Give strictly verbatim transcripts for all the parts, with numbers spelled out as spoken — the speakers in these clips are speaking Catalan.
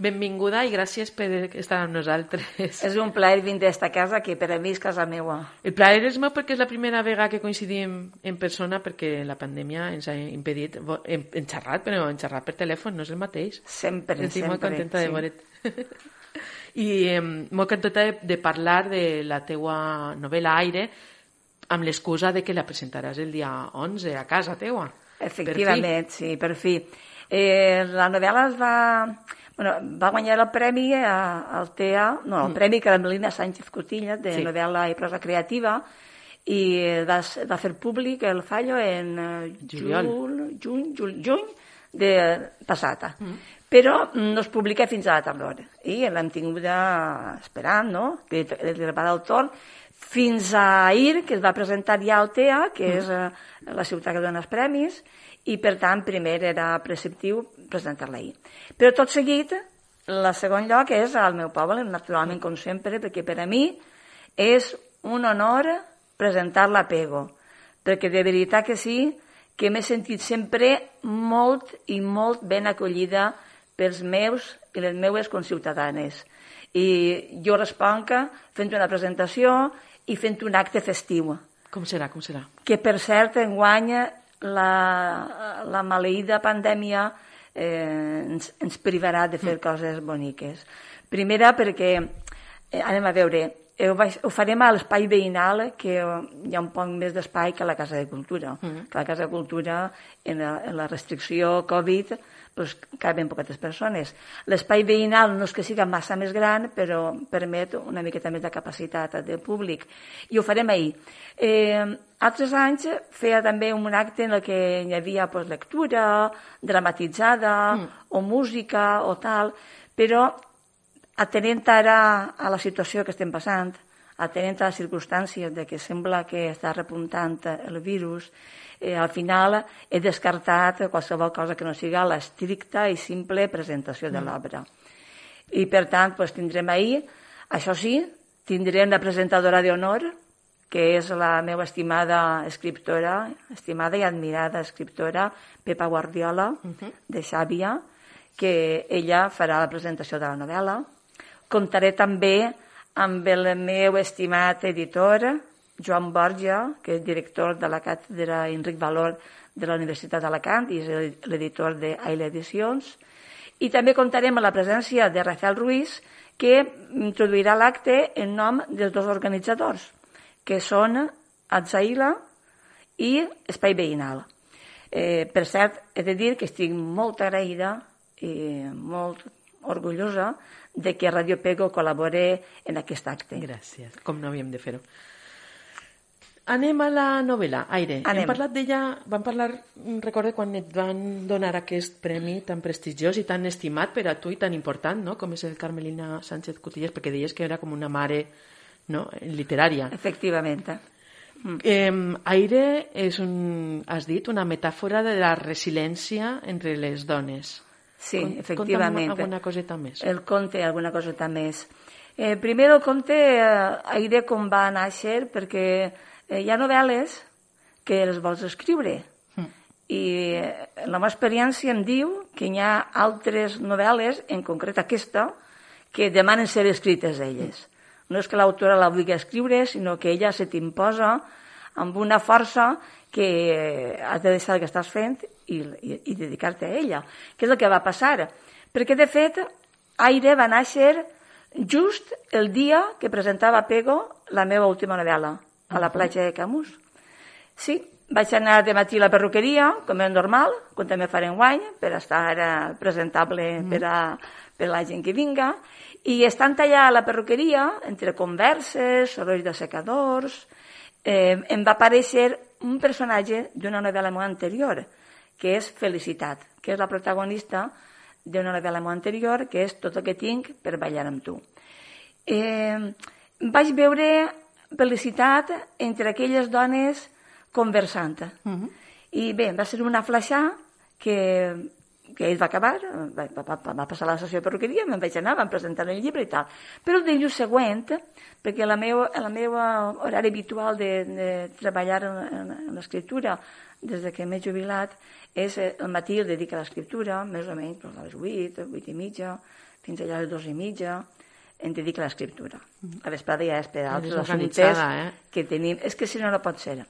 benvinguda i gràcies per estar amb nosaltres. És un plaer vindre a esta casa, que per a mi és casa meva. El plaer és meu perquè és la primera vegada que coincidim en persona, perquè la pandèmia ens ha impedit, hem, hem xerrat, però hem xerrat per telèfon, no és el mateix. Sempre, Estic sempre. molt contenta de sí. veure't. I eh, molt contenta de, de parlar de la teua novel·la Aire, amb l'excusa de que la presentaràs el dia onze a casa teua. Efectivament, per sí, per fi. Eh, la novel·la es va... Bueno, va guanyar el premi al T E A, no, el mm. premi Carmelina Sánchez Cotilla, de sí. novel·la i prosa creativa, i va, va fer públic el fallo en Juliol. jul, juny, juny, juny de passata. Mm. Però no es publica fins a la tardor. I l'hem tingut esperant, no?, que li va el torn, fins a ahir, que es va presentar ja al T E A, que mm. és la ciutat que dona els premis, i per tant primer era preceptiu presentar-la ahir. Però tot seguit, el segon lloc és al meu poble, naturalment com sempre, perquè per a mi és un honor presentar-la a Pego, perquè de veritat que sí, que m'he sentit sempre molt i molt ben acollida pels meus i les meues conciutadanes. I jo responc fent una presentació i fent un acte festiu. Com serà, com serà? Que per cert enguany la, la maleïda pandèmia eh, ens, ens privarà de fer mm. coses boniques. Primera perquè, eh, anem a veure, ho, vaig, ho farem a l'espai veïnal, que hi ha un poc més d'espai que a la Casa de Cultura. Mm. Que a la Casa de Cultura, en la, en la restricció Covid, pues, caben poquetes persones. L'espai veïnal no és que siga massa més gran, però permet una miqueta més de capacitat de públic. I ho farem ahir. Eh, altres anys feia també un acte en què hi havia pues, lectura, dramatitzada, mm. o música, o tal, però atenent ara a la situació que estem passant, atenent a les circumstàncies de que sembla que està repuntant el virus, eh, al final he descartat qualsevol cosa que no siga l'estricta i simple presentació de l'obra. I per tant pues, tindrem ahir, això sí, tindrem la presentadora d'honor, que és la meva estimada escriptora, estimada i admirada escriptora, Pepa Guardiola, uh-huh. de Xàbia, que ella farà la presentació de la novel·la. Comptaré també amb el meu estimat editor, Joan Borja, que és director de la càtedra Enric Valor de la Universitat d'Alacant i és l'editor d'Aile Edicions. I també comptarem amb la presència de Rafael Ruiz, que introduirà l'acte en nom dels dos organitzadors, que són Atzaila i Espai Veïnal. Eh, per cert, he de dir que estic molt agraïda i molt orgullosa de que Radio Pego col·labore en aquest acte. Gràcies, com no havíem de fer-ho. Anem a la novel·la, Aire. Anem. Hem parlat d'ella, vam parlar, recordo, quan et van donar aquest premi tan prestigiós i tan estimat per a tu i tan important, no?, com és el Carmelina Sánchez Cotillas, perquè deies que era com una mare, no?, literària. Efectivament. Mm. Eh, Aire és, un, has dit, una metàfora de la resiliència entre les dones. Sí, Cont, efectivament. Conta'm alguna coseta més. El conte, alguna coseta més. Eh, primer el conte, eh, Aire com va néixer, perquè eh, hi ha novel·les que les vols escriure. Mm. I eh, la meva experiència em diu que hi ha altres novel·les, en concret aquesta, que demanen ser escrites elles. Mm. No és que l'autora la vulgui escriure, sinó que ella se t'imposa amb una força que has de deixar el que estàs fent i, i, i dedicar-te a ella. Què és el que va passar? Perquè, de fet, Aire va néixer just el dia que presentava Pego la meva última novel·la, a la platja de Camus. Sí, vaig anar de matí a la perruqueria, com és normal, com també faré enguany, per estar presentable per a, per a la gent que vinga, i estant allà a la perruqueria, entre converses, sorolls de secadors, eh, em va aparèixer un personatge d'una novel·la meva anterior, que és Felicitat, que és la protagonista d'una novel·la meva anterior, que és Tot el que tinc per ballar amb tu. Eh, vaig veure Felicitat entre aquelles dones conversant. Uh-huh. I bé, va ser una flaixà que, que ell va acabar, va, va, va passar la sessió de perruqueria, me'n vaig anar, vam presentar el llibre i tal. Però el dilluns següent, perquè la meva, la meva horari habitual de, de treballar en, en, en l'escriptura des de que m'he jubilat és el matí el dedico a l'escriptura, més o menys a les vuit, vuit i mitja, fins allà a les dos i mitja, em dedico a l'escriptura. La vesprada ja és per altres assumptes eh? que tenim. És que si no, no pot ser.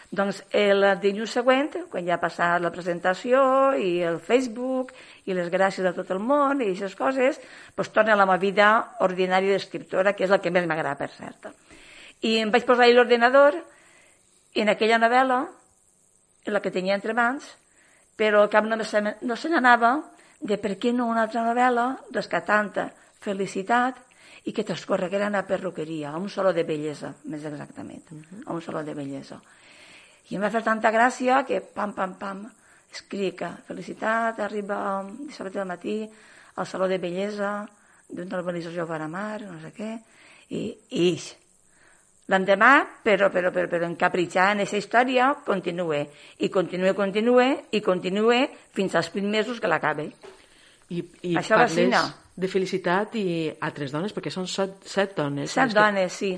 Doncs el dilluns següent, quan ja ha passat la presentació i el Facebook i les gràcies de tot el món i aquestes coses, doncs torna a la meva vida ordinària d'escriptora, que és el que més m'agrada, per cert. I em vaig posar a l'ordinador i en aquella novel·la, la que tenia entre mans, però el cap no se, no se n'anava de per què no una altra novel·la rescatant felicitat i que transcorreguera una perruqueria, a un saló de bellesa, més exactament, a un saló de bellesa. I em va fer tanta gràcia que, pam, pam, pam, escric, felicitat, arriba dissabte del matí al saló de bellesa d'una urbanització Varamar, no sé què, i ix. L'endemà, però, però, però, però encapritxar en aquesta història, continue, i continue, continue, i continue fins als vint mesos que l'acabe. I, i Això parles vacina. De felicitat i altres dones, perquè són set, set dones. Set dones, sí.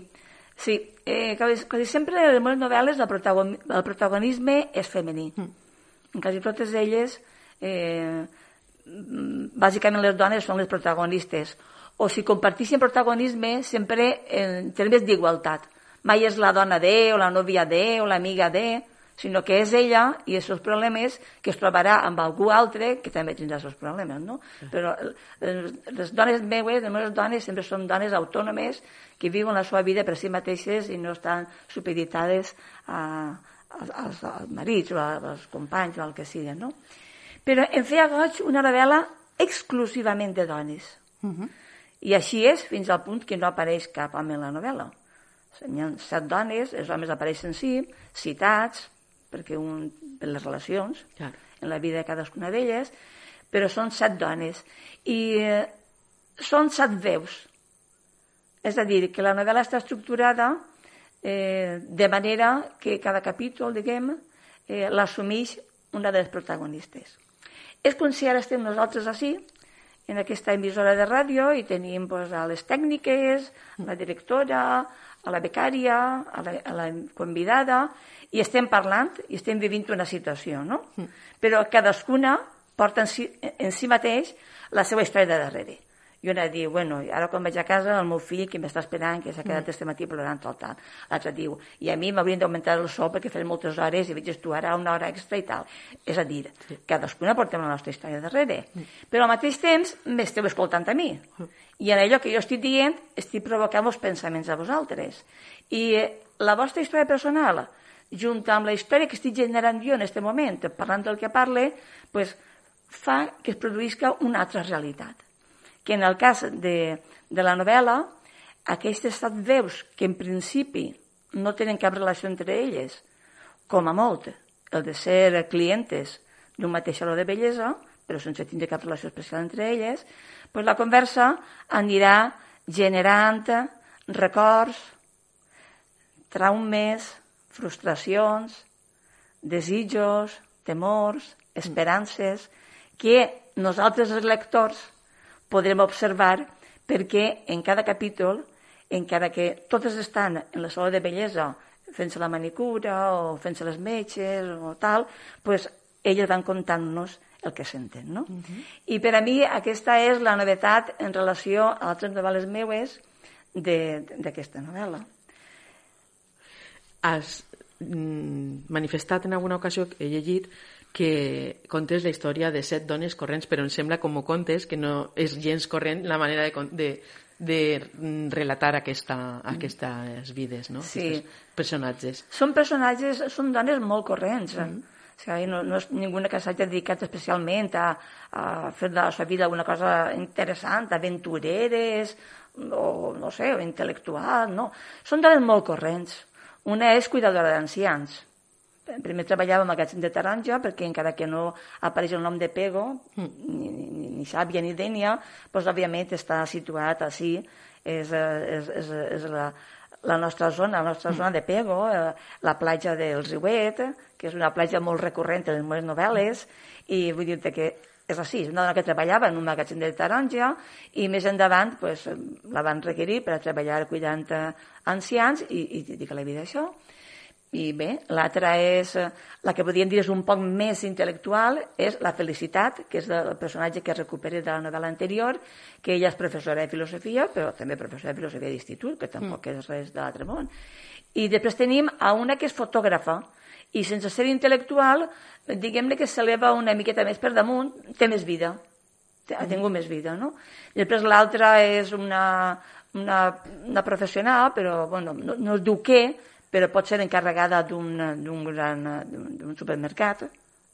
Sí, eh, quasi, quasi sempre en les meves novel·les el, protagon, el protagonisme és femení. Mm. En quasi totes elles, eh, bàsicament les dones són les protagonistes. O si comparteixen protagonisme, sempre en termes d'igualtat. Mai és la dona de, o la nòvia de, o l'amiga de, sinó que és ella i els seus problemes que es trobarà amb algú altre que també tindrà els seus problemes, no? Però les dones meues, les meves dones, sempre són dones autònomes que viuen la seva vida per si mateixes i no estan supeditades a, als, als marits o als companys o al que sigui, no? Però em feia goig una novel·la exclusivament de dones. Uh-huh. I així és fins al punt que no apareix cap home en la novel·la. Hi ha set dones, els homes apareixen sí, citats, perquè un, per les relacions, clar, en la vida de cadascuna d'elles, però són set dones. I eh, són set veus. És a dir, que la novel·la està estructurada eh, de manera que cada capítol, diguem, eh, l'assumeix una de les protagonistes. És com si ara estem nosaltres així, en aquesta emissora de ràdio, i tenim pues, a les tècniques, a la directora, a la becària, a la, a la convidada, i estem parlant i estem vivint una situació, no? Mm. Però cadascuna porta en si, en si mateix la seva història de darrere. I una diu, bueno, ara quan vaig a casa el meu fill que m'està esperant, que s'ha quedat mm. este matí plorant tal, tal. L'altre diu, i a mi m'haurien d'augmentar el sou perquè faré moltes hores i veig tu ara una hora extra i tal. És a dir, sí, cadascuna portem la nostra història darrere. Mm. Però al mateix temps m'esteu escoltant a mi. Mm. I en allò que jo estic dient estic provocant els pensaments a vosaltres. I la vostra història personal, junt amb la història que estic generant jo en aquest moment, parlant del que parle, pues, fa que es produïsca una altra realitat. Que en el cas de, de la novel·la, aquestes set veus que en principi no tenen cap relació entre elles, com a molt el de ser clientes d'un mateix saló de bellesa, però sense tindre cap relació especial entre elles, pues la conversa anirà generant records, traumes, frustracions, desitjos, temors, esperances, que nosaltres els lectors podrem observar perquè en cada capítol, encara que totes estan en la sala de bellesa fent-se la manicura o fent-se les metges o tal, pues elles van contant-nos el que senten, no? Uh-huh. I per a mi aquesta és la novetat en relació a altres novel·les meues d'aquesta novel·la. Has mm, manifestat en alguna ocasió, he llegit, que contes la història de set dones corrents, però em sembla com ho contes que no és gens corrent la manera de, de, de relatar aquesta, aquestes vides, no? Sí. Aquests personatges. Són personatges, són dones molt corrents. Mm. O sigui, no, no és ninguna que s'hagi dedicat especialment a, a fer de la seva vida una cosa interessant, aventureres, o no sé, o intel·lectual, no. Són dones molt corrents. Una és cuidadora d'ancians. Primer treballava en magatzem de taronja perquè encara que no apareix el nom de Pego, mm. ni, ni, ni Xàbia ni Dènia, doncs òbviament està situat així, és, és, és, és la, la nostra zona, la nostra mm. zona de Pego, la platja del Riuet, que és una platja molt recurrent en les meves novel·les, i vull dir-te que és així, una dona que treballava en un magatzem de taronja i més endavant pues, la van requerir per a treballar cuidant ancians i, i dedicar la vida a això. I bé, l'altra és, la que podríem dir és un poc més intel·lectual, és la Felicitat, que és el personatge que es recupera de la novel·la anterior, que ella és professora de filosofia, però també professora de filosofia d'institut, que tampoc mm. és res de l'altre món. I després tenim a una que és fotògrafa, i sense ser intel·lectual, diguem-ne que s'eleva una miqueta més per damunt, té més vida, ha tingut més vida, no? I després l'altra és una, una, una professional, però bueno, no, no es diu què, però pot ser encarregada d'un gran d'un supermercat,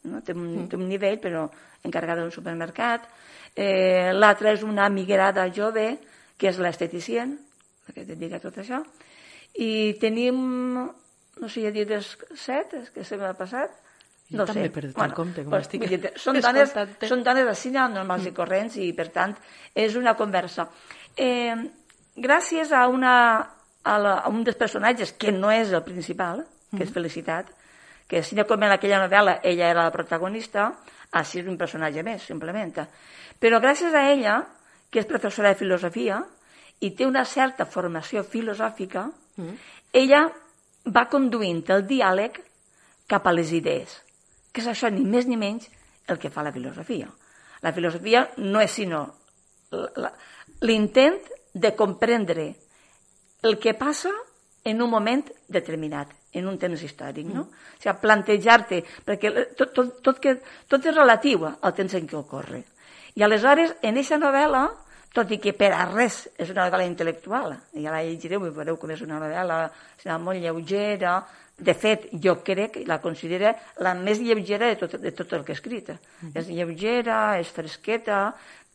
no? Té, un, té un nivell, però encarregada d'un supermercat. Eh, l'altra és una migrada jove, que és l'esteticien, la que et dedica a tot això. I tenim... no sé, ja dir les set, que se m'ha passat. Jo no també sé. he perdut bueno, el compte, com pues, estic dir, són, dones, són dones així normals mm. i corrents i, per tant, és una conversa. Eh, gràcies a, una, a, la, a un dels personatges, que no és el principal, que mm. és Felicitat, que si no com en aquella novel·la ella era la protagonista, així és un personatge més, simplement. Però gràcies a ella, que és professora de filosofia i té una certa formació filosòfica, mm. ella va conduint el diàleg cap a les idees, que és això ni més ni menys el que fa la filosofia. La filosofia no és sinó l'intent de comprendre el que passa en un moment determinat, en un temps històric, no? Mm. O sigui, plantejar-te, perquè tot, tot, tot, que, tot és relatiu al temps en què ocorre. I aleshores, en aquesta novel·la, tot i que per a res és una novel·la intel·lectual, ja la llegireu i veureu com és una novel·la molt lleugera. De fet, jo crec, la considero la més lleugera de tot, de tot el que he escrit. Mm-hmm. És lleugera, és fresqueta,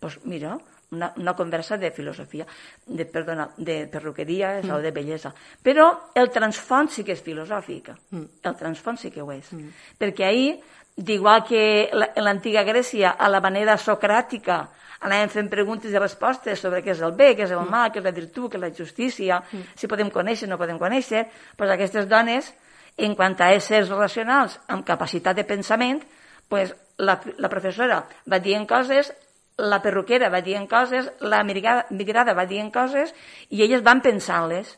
doncs mira, una, una conversa de filosofia, de, perdona, de perruqueria mm. o de bellesa. Però el transfons sí que és filosòfic, mm. el transfons sí que ho és. Mm. Perquè ahir, d'igual que en l'antiga Grècia, a la manera socràtica, anàvem fent preguntes i respostes sobre què és el bé, què és el mal, què és la virtut, què és la justícia, mm. si podem conèixer o no podem conèixer, doncs aquestes dones, en quant a éssers racionals amb capacitat de pensament, doncs la, la professora va dient coses, la perruquera va dient coses, la migrada, migrada va dient coses, i elles van pensant-les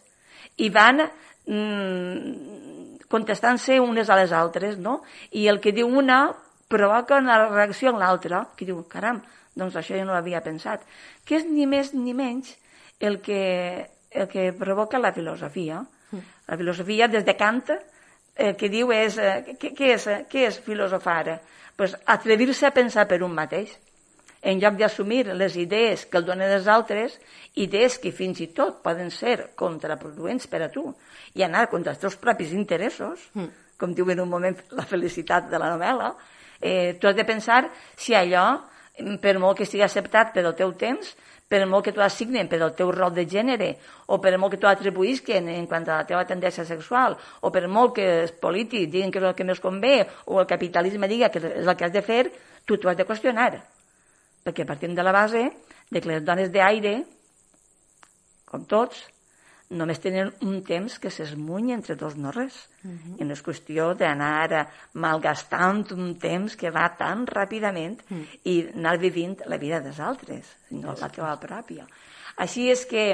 i van mm, contestant-se unes a les altres, no? I el que diu una provoca una reacció en l'altra, que diu, caram, doncs això jo no l'havia pensat, que és ni més ni menys el que, el que provoca la filosofia. Mm. La filosofia, des de Kant, el que diu és, eh, què, què és, què és filosofar? Pues atrevir-se a pensar per un mateix, en lloc d'assumir les idees que el donen els altres, idees que fins i tot poden ser contraproduents per a tu, i anar contra els teus propis interessos, mm. com diu en un moment la Felicitat de la novel·la, eh, tu has de pensar si allò, per molt que estigui acceptat per el teu temps, per molt que tu assignen per el teu rol de gènere, o per molt que tu atribuïsquen en quant a la teva tendència sexual, o per molt que els polítics diguin que és el que més convé, o el capitalisme diga que és el que has de fer, tu t'ho has de qüestionar. Perquè partim de la base de que les dones d'aire, com tots, només tenen un temps que s'esmuny entre dos no res. Uh-huh. I no és qüestió d'anar malgastant un temps que va tan ràpidament uh-huh. i anar vivint la vida dels altres, sinó la teva pròpia. Així és que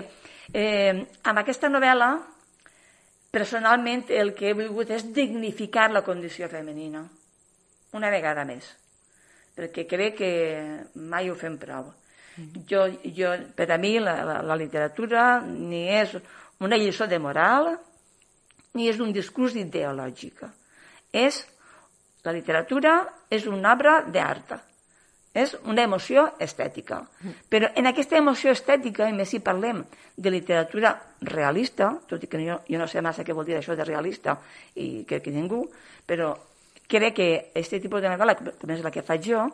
eh, amb aquesta novel·la, personalment, el que he volgut és dignificar la condició femenina. Una vegada més. Perquè crec que mai ho fem prou. Uh-huh. Jo, jo, per a mi, la, la, la literatura ni és una lliçó de moral, ni és un discurs ideològic. És, la literatura és una obra d'art, és una emoció estètica. Però en aquesta emoció estètica, i més si parlem de literatura realista, tot i que jo, jo no sé massa què vol dir això de realista, i crec que ningú, però crec que aquest tipus de novel·la, que és la que faig jo,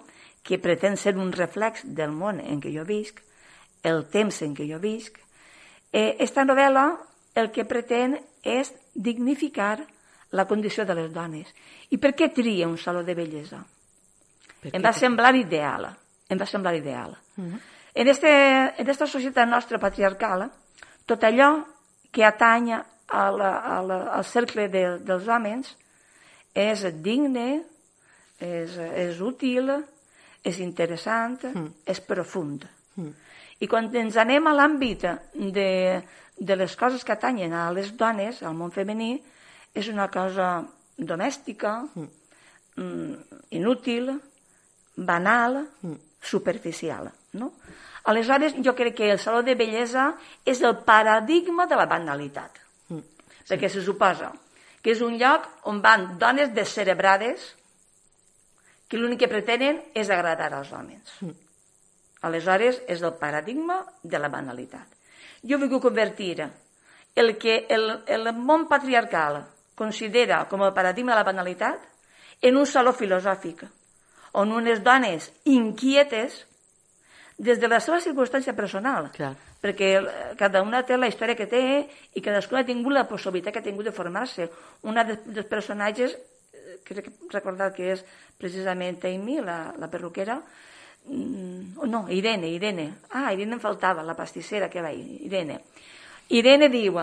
que pretén ser un reflex del món en què jo visc, el temps en què jo visc, Esta novel·la el que pretén és dignificar la condició de les dones. I per què tria un saló de bellesa? Em va semblar ideal. Em va semblar ideal. Uh-huh. En aquesta societat nostra patriarcal, tot allò que atanya a la, a la, al cercle de, dels homes és digne, és, és útil, és interessant, Mm. és profund. Mm. I quan ens anem a l'àmbit de, de les coses que atanyen a les dones, al món femení, és una cosa domèstica, mm. inútil, banal, mm. superficial, no? Aleshores, jo crec que el saló de bellesa és el paradigma de la banalitat. Mm. Sí. Perquè se suposa que és un lloc on van dones descerebrades que l'únic que pretenen és agradar als homes. Mm. Aleshores, és el paradigma de la banalitat. Jo vull convertir el que el, el món patriarcal considera com el paradigma de la banalitat en un saló filosòfic, on unes dones inquietes des de la seva circumstància personal, Clar. perquè cada una té la història que té i cadascuna ha tingut la possibilitat que ha tingut de formar-se. Una dels personatges, crec recordar que és precisament Amy, la, la perruquera, no, Irene, Irene, ah, Irene em faltava, la pastissera que va, Irene. Irene diu,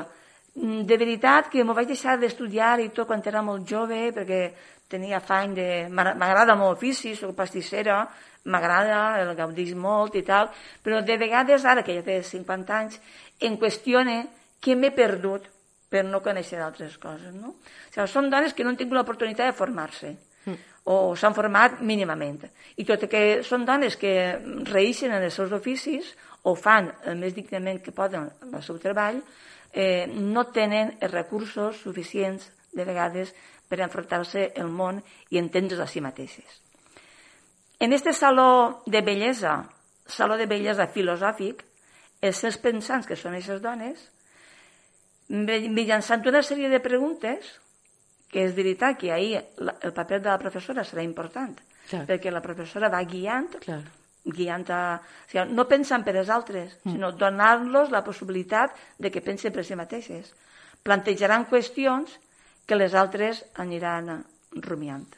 de veritat que m'ho vaig deixar d'estudiar i tot quan era molt jove, perquè tenia afany de... M'agrada molt l'ofici, soc pastissera, m'agrada, el gaudís molt i tal, però de vegades, ara que ja té cinquanta anys, em qüestione què m'he perdut per no conèixer d'altres coses, no? O sigui, són dones que no han tingut l'oportunitat de formar-se, mm. o s'han format mínimament. I tot i que són dones que reeixen en els seus oficis, o fan el més dignament que poden el seu treball, eh, no tenen els recursos suficients, de vegades, per enfrontar-se al món i entendre's a si mateixes. En este saló de bellesa, saló de bellesa filosòfic, els seus pensants, que són aquestes dones, mitjançant una sèrie de preguntes, que és veritat que ahir el paper de la professora serà important, Clar. perquè la professora va guiant, Clar. guiant a... O sigui, no pensant per als altres, mm. sinó donar-los la possibilitat de que pensen per si mateixes. Plantejaran qüestions que les altres aniran rumiant.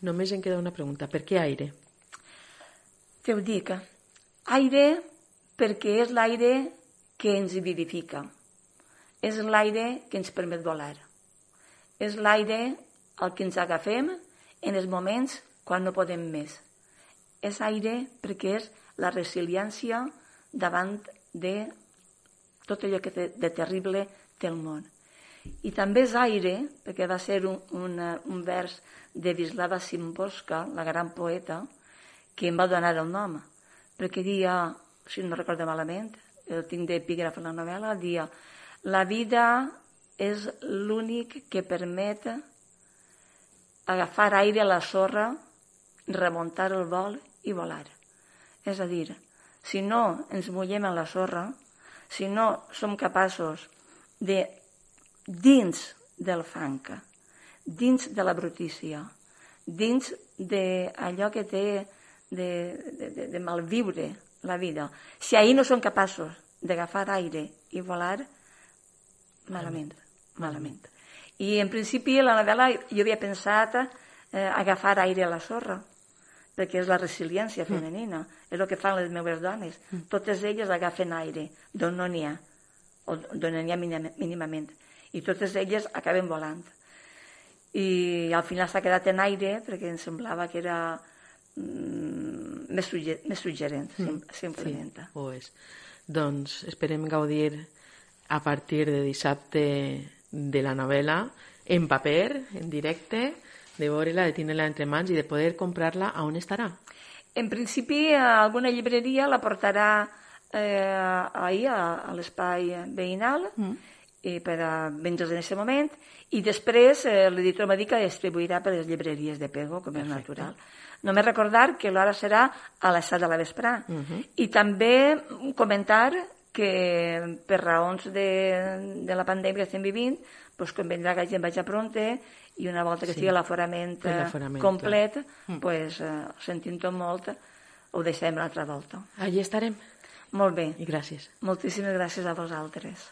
Només em queda una pregunta. Per què aire? Te ho dic. Aire perquè és l'aire que ens vivifica. És l'aire que ens permet volar. És l'aire al que ens agafem en els moments quan no podem més. És aire perquè és la resiliència davant de tot allò que de terrible té el món. I també és aire, perquè va ser un, un, un vers de Wisława Szymborska, la gran poeta, que em va donar el nom, perquè dia, si no recordo malament, el tinc d'epígraf en la novel·la, dia, la vida és l'únic que permet agafar aire a la sorra, remuntar el vol i volar. És a dir, si no ens mullem en la sorra, si no som capaços de, dins del fang, dins de la brutícia, dins d'allò que té de, de, de, de malviure la vida, si ahir no som capaços d'agafar aire i volar, malament, malament. I en principi a la novel·la jo havia pensat eh, agafar aire a la sorra, perquè és la resiliència femenina, mm. és el que fan les meves dones. Mm. Totes elles agafen aire d'on no n'hi ha, o d'on n'hi ha mínimament, i totes elles acaben volant. I al final s'ha quedat en aire perquè em semblava que era mm, més, sugger més suggerent, mm. simplement. Sí, ho és. Doncs esperem gaudir a partir de dissabte de la novel·la en paper, en directe, de veure-la, de tenir-la entre mans i de poder comprar-la. A on estarà? En principi, alguna llibreria la portarà eh, ahir a, a l'espai veïnal mm. i per a vendre's en aquest moment, i després eh, l'editor m'ha dit que distribuirà per les llibreries de Pego, com és natural. Només recordar que l'hora serà a les set de la vesprà. Uh -huh. I també comentar que per raons de, de la pandèmia que estem vivint, doncs convindrà que la gent vagi a pronte i una volta que sí. estigui l'aforament complet, mm. pues, eh, sentint-ho molt, ho deixem l'altra volta. Allí estarem. Molt bé. I gràcies. Moltíssimes gràcies a vosaltres.